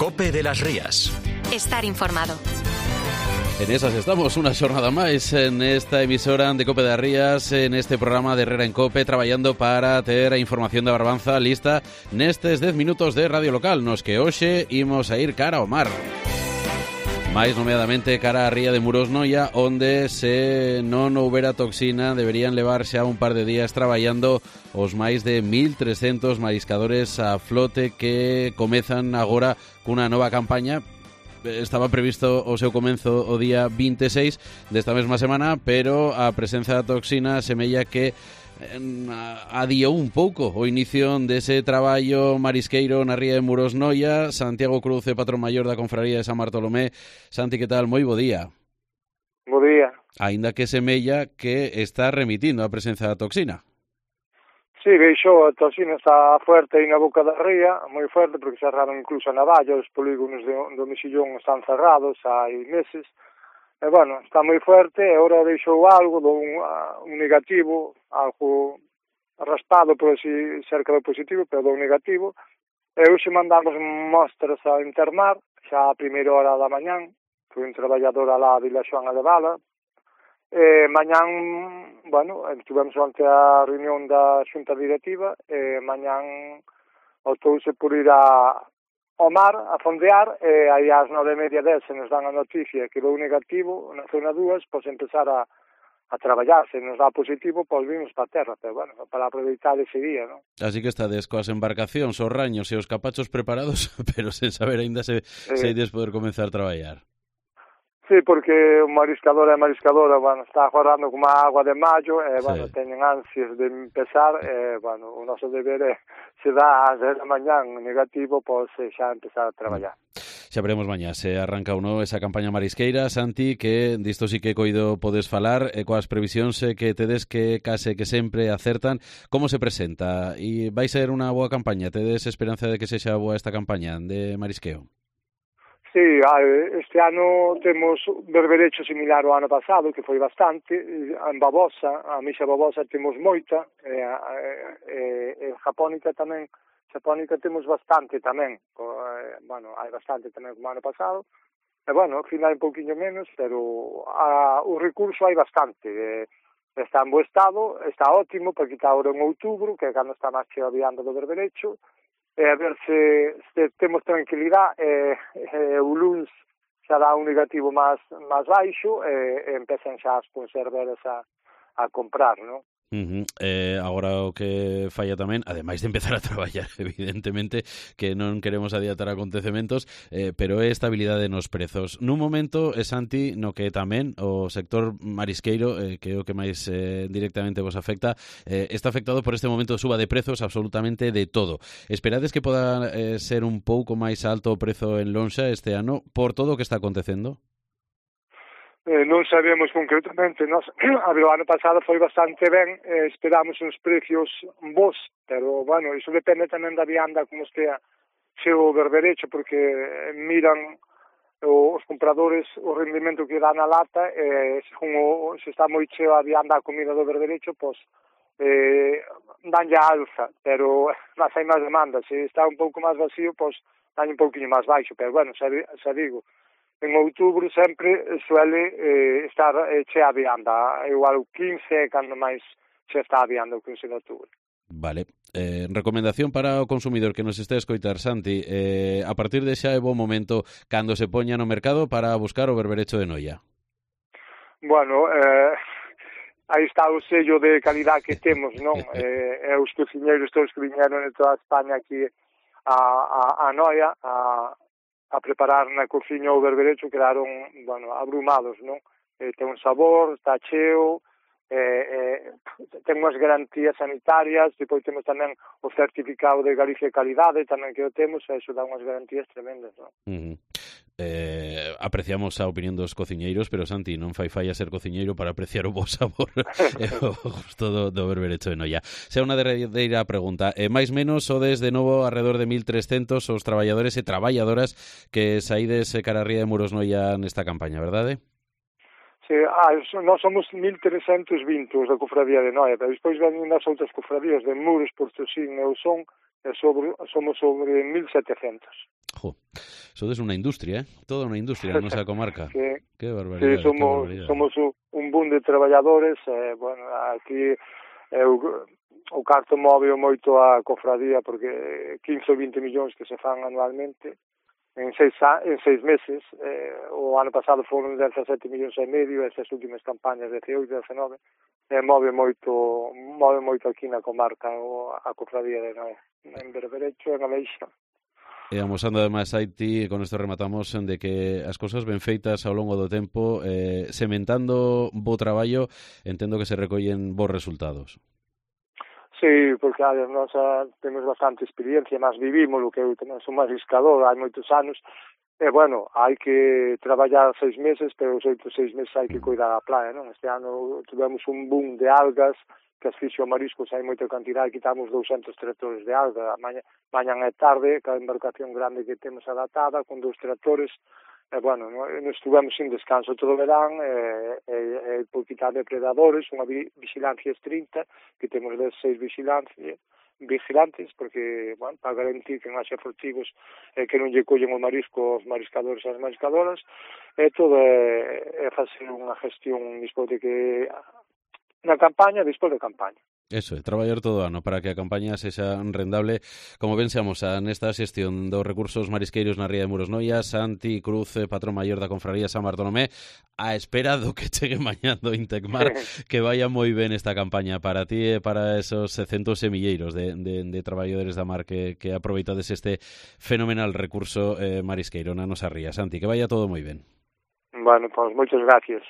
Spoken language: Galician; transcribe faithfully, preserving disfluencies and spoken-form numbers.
COPE de las Rías. Estar informado. En esas estamos, unha xornada máis en esta emisora de COPE das Rías, en este programa de Herrera en COPE, traballando para ter a información da Barbanza lista nestes dez minutos de radio local, nos que hoxe imos a ir cara ao mar. Mais nomeadamente cara á ría de Muros-Noia, onde se non houbera toxina deberían levar xa un par de días traballando os máis de mil trescentos mariscadores a flote que comezan agora cunha nova campaña. Estaba previsto o seu comenzo o día vinte e seis desta mesma semana, pero a presenza da toxina semella que adiou un pouco o inicio dese traballo marisqueiro na ría de Muros-Noia. Santiago Cruz, patrón maior da Confraría de San Bartolomé. Santi, que tal? Moi bo día. Bo día. Aínda que semella que está remitindo a presenza da toxina. Sí, veixo, a toxina está fuerte aí na boca da ría, moi fuerte, porque cerraron incluso a navalla, os polígonos do Mexillón están cerrados hai meses, e, bueno, está moi fuerte, e agora deixou algo, un, un negativo, algo raspado, por así, cerca do positivo, pero do negativo, e hoxe mandamos mostras a internar, xa a primeira hora da mañán, foi un traballador alá de Vila Xoana de Bala. E mañán, bueno, estivemos ante a reunión da xunta directiva, e mañán optouse por ir a, ao mar, a fondear, e aí ás nove e media dez se nos dan a noticia que dou negativo na zona dúas, pois empezar a, a traballar. Se nos dá positivo, pois vimos para a terra, pero bueno, para aproveitar ese día, non? Así que estades coas embarcacións, os raños e os capachos preparados, pero sen saber aínda se, sí. se ides poder comenzar a traballar. Sí, porque o mariscador e a mariscadora, bueno, está agorando como a agua de maio, e, bueno, sí, teñen ansias de empezar, e, bueno, o noso deber é, se dá ás dez da mañán negativo, pois xa empezar a traballar. Xa veremos mañá se arranca ou non esa campaña marisqueira. Santi, que disto sí que coido podes falar, e coas previsións que tedes que case que sempre acertan, como se presenta? E vai ser unha boa campaña? Tedes esperanza de que sexa boa esta campaña de marisqueo? Sí, este ano temos berberecho similar ao ano pasado, que foi bastante. En babosa, a mixa babosa temos moita, e, e, e japónica tamén, japónica temos bastante tamén. Bueno, hai bastante tamén como ano pasado. E, bueno, ao final un pouquinho menos, pero a, o recurso hai bastante. E, está en bo estado, está ótimo, porque está ahora en outubro, que é cando está máis cheo aviando do berberecho. E a ver se, se temos tranquilidade, e, e o luns xa dá un negativo máis, máis baixo, e, e empezan xa as conserveras a, a comprar, non? Uh-huh. Eh, agora o que falla tamén, ademais de empezar a traballar, evidentemente, que non queremos adiantar acontecementos, eh, pero é estabilidade nos prezos. Nun momento, eh, Santi, no que tamén o sector marisqueiro, eh, que é o que máis eh, directamente vos afecta, eh, está afectado por este momento de suba de prezos absolutamente de todo. Esperades que poda eh, ser un pouco máis alto o prezo en lonxa este ano por todo o que está acontecendo? Eh, non sabemos concretamente. Nos, a ver, o ano pasado foi bastante ben, eh, esperamos uns precios bons, pero, bueno, iso depende tamén da vianda como estea cheo o berberecho, porque miran o, os compradores o rendimento que dá na lata, e eh, como se está moi cheo a vianda a comida do berberecho, pois eh, danlle a alza, pero mas hai máis demanda. Se está un pouco máis vacío, pois danlle un pouquinho máis baixo, pero, bueno, xa, xa digo, en outubro sempre suele eh, estar eh, chea a vianda, igual o quince, cando máis xa está a vianda o quince de outubro. Vale. Eh, recomendación para o consumidor que nos este a escoitar, Santi, eh, a partir de xa é bo momento cando se poña no mercado para buscar o berberecho de Noia? Bueno, eh, aí está o sello de calidad que temos, non? eh, e os cociñeiros todos que viñeron de toda España aquí a, a, a Noia, a a preparar na cociña o berberecho, quedaron, bueno, abrumados, non? Eh, ten un sabor, está cheo, eh, eh, ten unhas garantías sanitarias, depois temos tamén o certificado de Galicia de calidade, tamén que o temos, e iso dá unhas garantías tremendas, non? Uh-huh. Eh, apreciamos a opinión dos cociñeiros, pero Santi, non fai falla ser cociñeiro para apreciar o bo sabor e o gusto do, do berberecho de Noia. Xa unha derradeira pregunta, eh, máis menos sodes de novo alrededor de mil trescentos os traballadores e traballadoras que saídes cara a ría de Muros-Noia nesta campaña, verdade? Sí, ah, nós somos mil trescentos vinte os da cofradía de Noia, pero despois ven as outras cofradías de Muros, Portosín e Ousón, e sobre, somos sobre mil setecentos. Jo, eso es una industria, ¿eh? Toda una industria en nuestra comarca. Sí. Qué barbaridad. Sí, somos, barbaridad. somos un boom de traballadores, eh, bueno, aquí eh, o, o carto move moito a cofradía porque quince ou vinte millóns que se fan anualmente en seis, en seis meses, eh, o ano pasado foron dezasete millóns e medio, esas últimas campañas de dezaoito, dezenove, eh, move moito, move moito aquí na comarca o a cofradía de Noé, en Berberecho, en Aleixa. E amosando ademais a ti, con isto rematamos, de que as cousas ben feitas ao longo do tempo, eh, sementando bo traballo, entendo que se recollen bons resultados. Sí, porque a ver, nós a, temos bastante experiencia, mas vivimos o que eu tamén sou mariscador hai moitos anos, e bueno, hai que traballar seis meses, pero os outros seis meses hai que cuidar a playa, non? Este ano tivemos un boom de algas, que as fixo mariscos hai moita cantidade, quitamos douscentos tractores de alga, maña, mañan e tarde, cada embarcación grande que temos adaptada, con dous tractores, e, bueno, non estuvemos sin descanso todo o verán, e, e, e por quitar depredadores, unha vigilancia estricta, que temos seis vigilancias, vigilantes, porque, bueno, para garantir que non haxa furtivos e que non lle collen o marisco aos mariscadores e as mariscadoras, e todo é, é facer unha gestión despois de que na campaña, despois da campaña. Eso, é traballar todo o ano para que a campaña sexa rendable, como ben seamos a nesta xestión dos recursos marisqueiros na ría de Muros Noia. Santi Cruz, patrón maior da Confraría San Bartolomé, a espera do que chegue mañá do Intecmar, que vaya moi ben esta campaña para ti e para esos centos e milleiros de, de, de traballadores da mar que, que aproveitades este fenomenal recurso eh, marisqueiro na nosa ría. Santi, que vaya todo moi ben. Bueno, pois, moitas gracias.